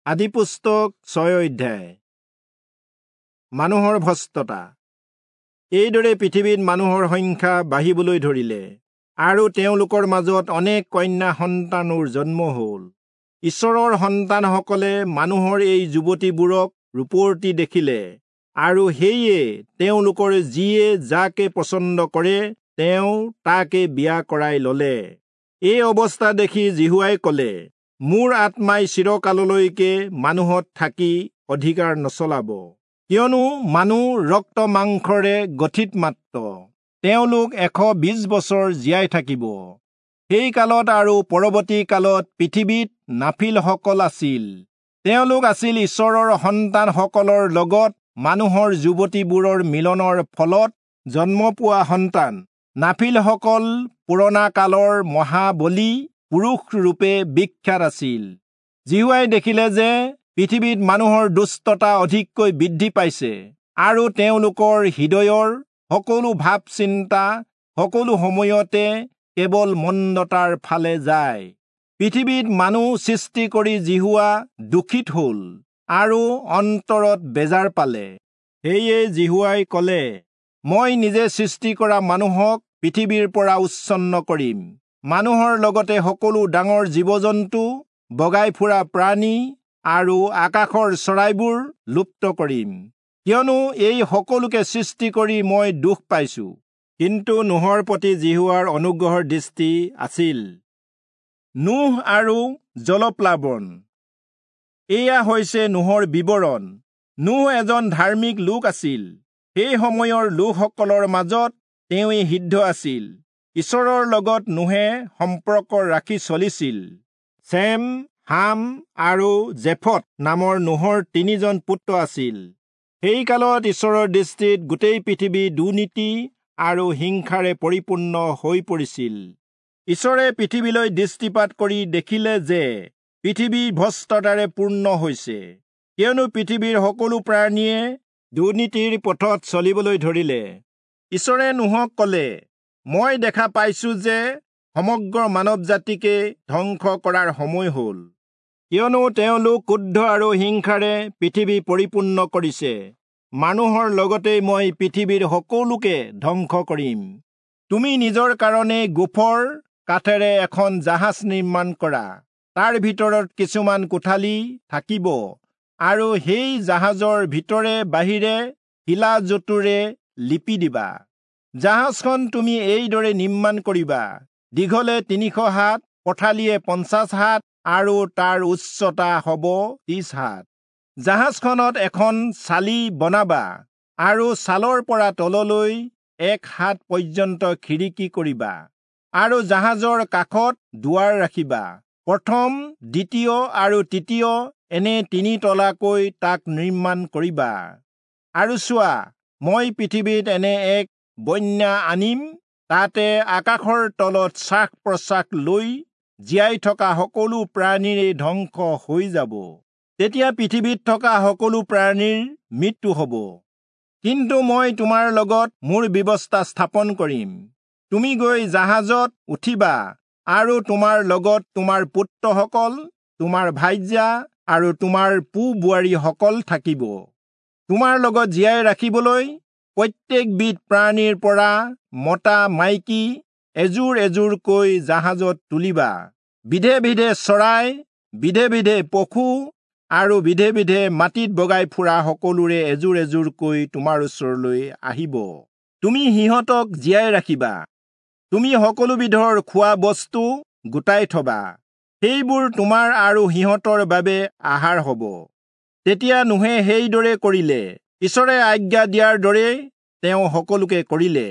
আদিপুস্তক 6 অধ্যায়। মানুহৰ ভ্ৰষ্টতা। এইদৰে পৃথিৱীত মানুহৰ সংখ্যা বাঢ়িবলৈ ধৰিলে আৰু তেওঁলোকৰ মাজত অনেক কন্যা সন্তানৰ জন্ম হ'ল। ঈশ্বৰৰ সন্তানসকলে মানুহৰ এই যুৱতীবোৰক ৰূপৱতী দেখিলে আৰু সেয়ে তেওঁলোকৰ যিয়ে যাকে পছন্দ কৰে তেওঁ তাকে বিয়া কৰাই ললে। এই অৱস্থা দেখি যিহোৱাই ক'লে, মোৰ আত্মাই চিৰকাললৈকে মানুহত থাকি অধিকাৰ নচলাব, কিয়নো মানুহ ৰক্ত মাংসৰে গঠিত মাত্ৰ, তেওঁলোক 120 বছৰ জীয়াই থাকিব। সেই কালত আৰু পৰৱৰ্তী কালত পৃথিৱীত নাফিলসকল আছিল। তেওঁলোক আছিল ঈশ্বৰৰ সন্তানসকলৰ লগত মানুহৰ যুৱতীবোৰৰ মিলনৰ ফলত জন্ম পোৱা সন্তান। নাফিলসকল পুৰণা কালৰ মহাবলী পুৰুষ ৰূপে বিখ্যাত আছিল। যিহোৱাই দেখিলে যে পৃথিৱীত মানুহৰ দুষ্টতা অধিককৈ বৃদ্ধি পাইছে আৰু তেওঁলোকৰ হৃদয়ৰ সকলো ভাৱ চিন্তা সকলো সময়তে কেৱল মন্দতাৰ ফালে যায়। পৃথিৱীত মানুহ সৃষ্টি কৰি যিহোৱা দুখিত হ'ল আৰু অন্তৰত বেজাৰ পালে। সেয়ে যিহোৱাই ক'লে, মই নিজে সৃষ্টি কৰা মানুহক পৃথিৱীৰ পৰা উচ্ছন্ন কৰিম। মানুহৰ লগতে সকলো ডাঙৰ জীৱ-জন্তু, বগাই ফুৰা প্ৰাণী আৰু আকাশৰ চৰাইবোৰ লুপ্ত কৰিম, কিয়নো এই সকলোকে সৃষ্টি কৰি মই দুখ পাইছো। কিন্তু নোহৰ প্ৰতি যিহোৱাৰ অনুগ্ৰহৰ দৃষ্টি আছিল। নোহ আৰু জলপ্লাৱন। এয়া হৈছে নোহৰ বিৱৰণ। নোহ এজন ধাৰ্মিক লোক আছিল। সেই সময়ৰ লোকসকলৰ মাজত তেওঁৱেই সিদ্ধ আছিল। ঈশ্বৰৰ লগত নোহে সম্পৰ্ক ৰাখি চলিছিল। চেম, হাম আৰু জেফত নামৰ নোহৰ 3জন পুত্ৰ আছিল। সেই কালত ঈশ্বৰৰ দৃষ্টিত গোটেই পৃথিৱী দুৰ্নীতি আৰু হিংসাৰে পৰিপূৰ্ণ হৈ পৰিছিল। ঈশ্বৰে পৃথিৱীলৈ দৃষ্টিপাত কৰি দেখিলে যে পৃথিৱী ভ্ৰষ্টতাৰে পূৰ্ণ হৈছে, কিয়নো পৃথিৱীৰ সকলো প্ৰাণীয়ে দুৰ্নীতিৰ পথত চলিবলৈ ধৰিলে। ঈশ্বৰে নোহক ক'লে, মই দেখা পাইছো যে সমগ্ৰ মানৱ জাতিকে ধ্বংস কৰাৰ সময় হ'ল, কিয়নো তেওঁলোক ক্ৰোধ আৰু হিংসাৰে পৃথিৱী পৰিপূৰ্ণ কৰিছে। মানুহৰ লগতে মই পৃথিৱীৰ সকলোকে ধ্বংস কৰিম। তুমি নিজৰ কাৰণে গোফৰ কাঠেৰে এখন জাহাজ নিৰ্মাণ কৰা। তাৰ ভিতৰত কিছুমান কোঠালি থাকিব আৰু সেই জাহাজৰ ভিতৰে বাহিৰে শিলাজতুৰে লিপি দিবা। জাহাজখন তুমি এইদৰে নিৰ্মাণ কৰিবা: দীঘলে 300 হাত, পথালিয়ে 50 হাত আৰু তাৰ উচ্চতা হ'ব 30 হাত। জাহাজখনত এখন চালি বনাবা আৰু ছালৰ পৰা তললৈ 1 হাত পৰ্যন্ত খিৰিকী কৰিবা আৰু জাহাজৰ কাষত দুৱাৰ ৰাখিবা। প্ৰথম, দ্বিতীয় আৰু তৃতীয় এনে 3 তলাকৈ তাক নিৰ্মাণ কৰিবা। আৰু চোৱা, মই পৃথিৱীত এনে এক বন্যা আনিম, তাতে আকাশৰ তলত শ্বাস প্ৰশ্বাস লৈ জীয়াই থকা সকলো প্ৰাণীৰে ধ্বংস হৈ যাব। তেতিয়া পৃথিৱীত থকা সকলো প্ৰাণীৰ মৃত্যু হ'ব। কিন্তু মই তোমাৰ লগত মোৰ ব্যৱস্থা স্থাপন কৰিম। তুমি গৈ জাহাজত উঠিবা আৰু তোমাৰ লগত তোমাৰ পুত্ৰসকল, তোমাৰ ভাৰ্যা আৰু তোমাৰ পো-বোৱাৰীসকল থাকিব। তোমাৰ লগত জীয়াই ৰাখিবলৈ প্ৰত্যেকবিধ প্ৰাণীৰ পৰা মতা মাইকী এযোৰ এযোৰকৈ জাহাজত তুলিবা। বিধে বিধে চৰাই, বিধে বিধে পশু আৰু বিধে বিধে মাটিত বগাই ফুৰা সকলোৰে এযোৰ এযোৰকৈ তোমাৰ ওচৰলৈ আহিব। তুমি সিহঁতক জীয়াই ৰাখিবা। তুমি সকলোবিধৰ খোৱা বস্তু গোটাই থবা, সেইবোৰ তোমাৰ আৰু সিহঁতৰ বাবে আহাৰ হ'ব। তেতিয়া নোহে সেইদৰে কৰিলে। ঈশ্বৰে আজ্ঞা দিয়াৰ দৰেই তেওঁ সকলোকে কৰিলে।